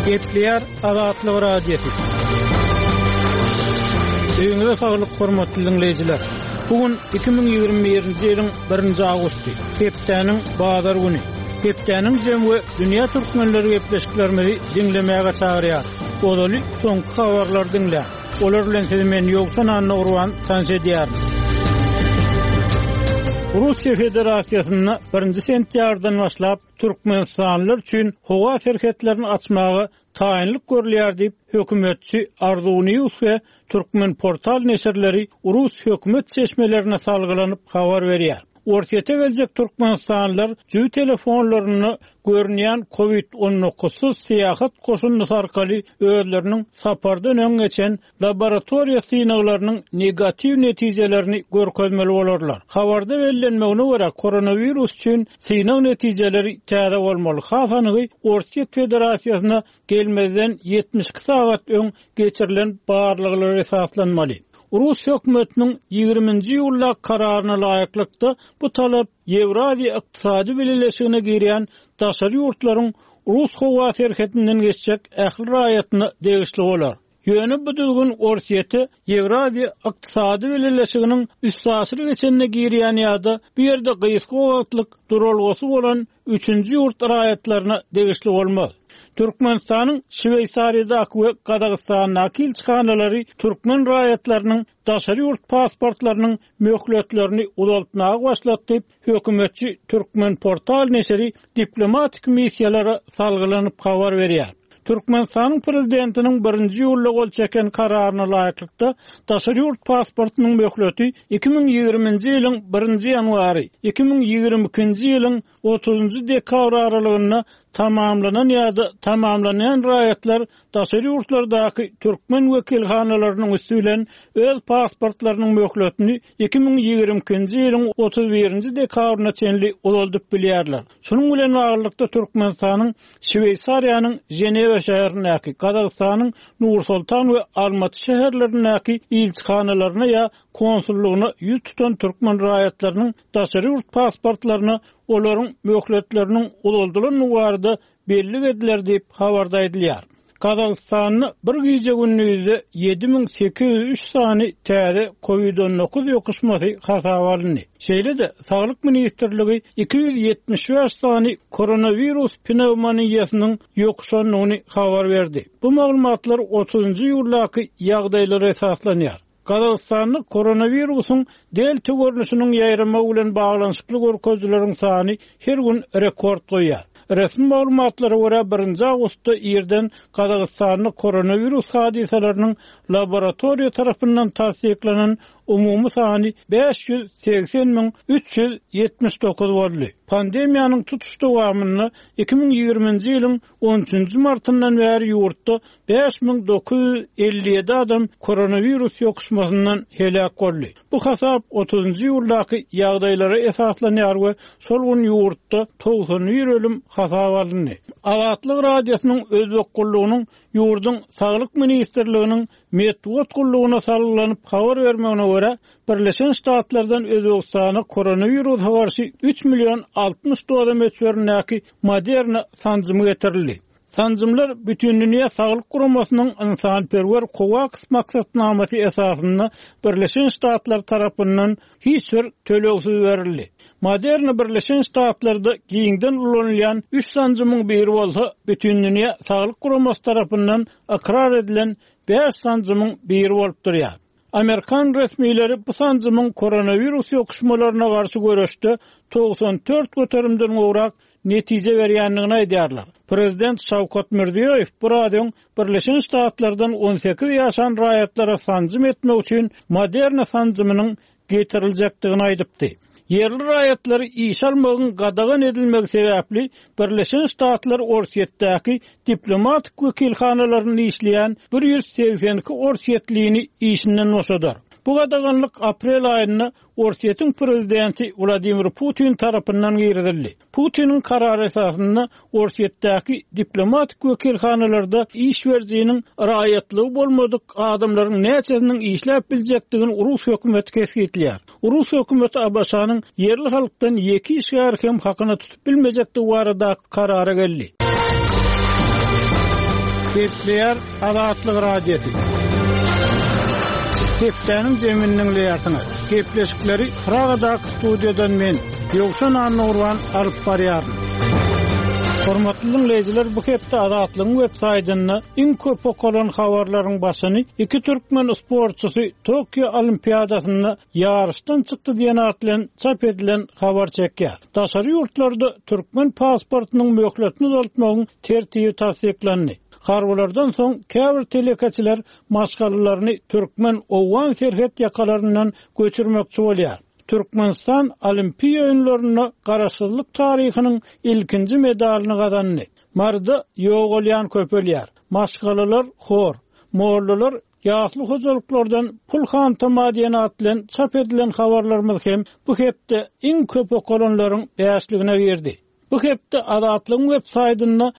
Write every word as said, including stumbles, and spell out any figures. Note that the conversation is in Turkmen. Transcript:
Gepleýär Azatlyk Radiosy. Öýüňize saglyk hormatly dinleýjiler. Bu gün iki müň ýigrimi birinji ýylyň birinji awgusty, hepdäniň bazar güni. Hepdäniň jem we dünýä türkmenleri gepleşiklerimizi diňlemäge çagyrýar. Ozaly soňky habarlary diňläň. Olar bilen sizi men Ýowşan Annagurban tanyş edýärin. Russiýa Federasiýasynda birinji sentýabrdan başlap Türkmenistanlylar üçin howa serhetlerini açmaga taýynlyk görülýär diýip, hökümetçi Arzuw News we Türkmen portal neşirleri Rus hökümet çeşmelerine salgylanyp habar berýär. Orsýete geljek Türkmenistanlylar jübi telefonlarynda görünýän COVID on dokuzsyz syýahat goşundysy arkaly özleriniň sapardan öň geçen laboratoriýa synaglarynyň negatiw netijelerini görkezmeli bolarlar. Habarda bellenmegine görä koronawirus üçin synag netijeleri täze bolmaly. Has anygy Orsýet Federasiýasyna gelmezden ýetmiş iki sagat öň geçirilen barlaglar esaslanmaly. Rus hökümetiniň ýigriminji iýulda kararyna laýyklykda bu talap Ýewraziýa Ykdysady Bileleşigine girýän daşary ýurtlaryň Rus howa serhetinden geçjek ähli raýatyna degişli bolar. Ýöne bu düzgün Orsýete Ýewraziýa Ykdysady Bileleşiginiň üstaşyr geçenine girýän ýa-da bu ýerde gysga wagtlyk duralgasy bolan üçünji ýurt raýatlaryna degişli bolmaz. Türkmenistanyň Şweýsariýadaky we Gazagystandaky ilçihanalary türkmen raýatlarynyň daşary ýurt pasportlarynyň möhletlerini uzaltmaga başlady diýip, hökümetçi Türkmen portal neşiri diplomatik missiýalara salgylanyp habar berýär. Türkmenistanyň prezidentiniň birinji iýulda gol çeken kararyna laýyklykda daşary ýurt pasportynyň möhleti iki müň ýigriminji ýylyň birinji ýanwary, iki müň ýigrimi ikinji ýylyň otuzynjy dekabr aralygynda tamamlanan ýa-da tamamlanýan raýatlar daşary ýurtlardaky türkmen wekilhanalarynyň üsti bilen öz pasportlarynyň möhletini iki müň ýigrimi ikinji ýylyň otuz birinji dekabryna çenli uzaldyp bilýärler. Şunuň bilen baglylykda Türkmenistanyň Şweýsariýanyň Ženewa şäherindäki, Gazagystanyň Nur-Sultan we Almaty şäherlerindäki ilçihanalaryna ýa konsullygyna ýüz tutan türkmen raýatlarynyň daşary ýurt pasportlaryna olaryň möhletleriniň uzaldylan barada belli ediler diýip habarda aýdylýar. Gazagystanda bir gije gündüzde ýedi müň sekiz ýüz üç sany täze COVID on dokuz ýokuşmasy hasaba alyndy. Şeýle-de Saglyk ministrligi iki ýüz ýetmiş bäş sany koronawirus pnewmoniýasynyň ýokuşandygyny habar berdi. Bu maglumatlar otuzynjy iýuldaky ýagdaýlara esaslanýar. Gazagystanda koronawirusyň delta görnüşiniň ýaýramagy bilen baglanyşykly görkezijileriň sany her gün rekord goýýar. Resmi maglumatlara görä birinji awgustda irden Gazagystanda koronawirus hadysalarynyň laboratoriýa tarapyndan tassyklanan umumy sany bäş ýüz segsen müň üç ýüz ýetmiş dokuz boldy. Pandemiýanyň tutuş dowamynda iki müň ýigriminji ýylyň on üçünji martyndan bäri ýurtda bäş müň dokuz ýüz elli ýedi adam koronawirus ýokuşmasyndan heläk boldy. Bu hasap otuzynjy iýuldaky ýagdaýlara esaslanýar we şol gün ýurtda togsan bir ölüm hasap alyndy. Azatlyk Radiosynyň Özbek gullugynyň ýurduň Saglyk ministrliginiň metbugat gullugyna salgylanyp habar bermegine görä, Birleşen Ştatlardan Özbegistana koronawirusa garşy üç million altmyş doza möçberindäki Moderna sanjymy getirildi. Sanjymlar Bütindünýä Saglyk Guramasynyň ynsanperwer COVAX maksatnamasy esasynda Birleşen Ştatlar tarapyndan hiç bir tölegsiz berildi. Moderna Birleşen Ştatlarda giňden ulanylýan üç sanjymyň biri bolsa Bütindünýä Saglyk Guramasy tarapyndan ykrar edilen bäş sanjymyň biri bolup durýar. Amerikan resmileri bu sanjymyň koronawirus ýokuşmalaryna garşy göreşde togsan dört göterimden gowrak netije berýändigini aýdýarlar. Prezident Şawkat Mirziýoýew bu radyň Birleşen Ştatlardan on sekiz ýaşan raýatlara sanjym etmek üçin Moderna sanjymynyň getiriljekdigini aýdypdy. Ýerli raýatlary iş almagyň gadagan edilmegi sebäpli Birleşen Ştatlar Orsýetdäki diplomatik wekilhanalaryny işleýän bir ýüz segsen iki orsýetlini işinden boşadar. Bu gadaganlyk aprel aýynda Orsýetiň prezidenti Wladimir Putin tarapyndan girizildi. Putiniň karary esasynda Orsýetdäki diplomatik wekilhanalarda iş berijiniň raýatlygy bolmadyk adamlaryň näçesiniň işläp biljekdigini Rus hökümeti kesgitleýär. Rus hökümeti A B Ş-nyň ýerli halkdan ýeke işgär hem hakyna tutup bilmejekdigi barada karara geldi. Gepleýär Azatlyk Radiosy. Hepdäniň jemini diňleýärsiňiz. Gepleşikleri Pragadaky studiýadan men, Ýowşan Annagurban alyp barýaryn. Hormatly dinleýjiler, bu hepde Azatlygyň web saýtynda iň köp okalan habarlaryň başyny iki türkmen sportçysy Tokio Olimpiadasynda ýaryşdan çykdy diýen at bilen çap edilen habar çekýär. Daşary ýurtlarda türkmen pasportynyň möhletini uzaltmagyň tertibi tassyklandy. Harbylardan soň käbir telekeçiler maşgalalaryny türkmen owgan serhet ýakalaryndan göçürmekçi bolýar. Türkmenistan Olimpiýa oýunlarynda garaşsyzlyk taryhynyň ilkinji medalyny gazandy. Maryda ýogalýan köpelýär. Maşgalalar hor, mollalar ýasly hojalyklardan pul hantama diýen at bilen çap edilen habarlarymyz hem bu hepde iň köp okalanlaryň bäşligine girdi. Bu hepde Azatlygyň web saýtynda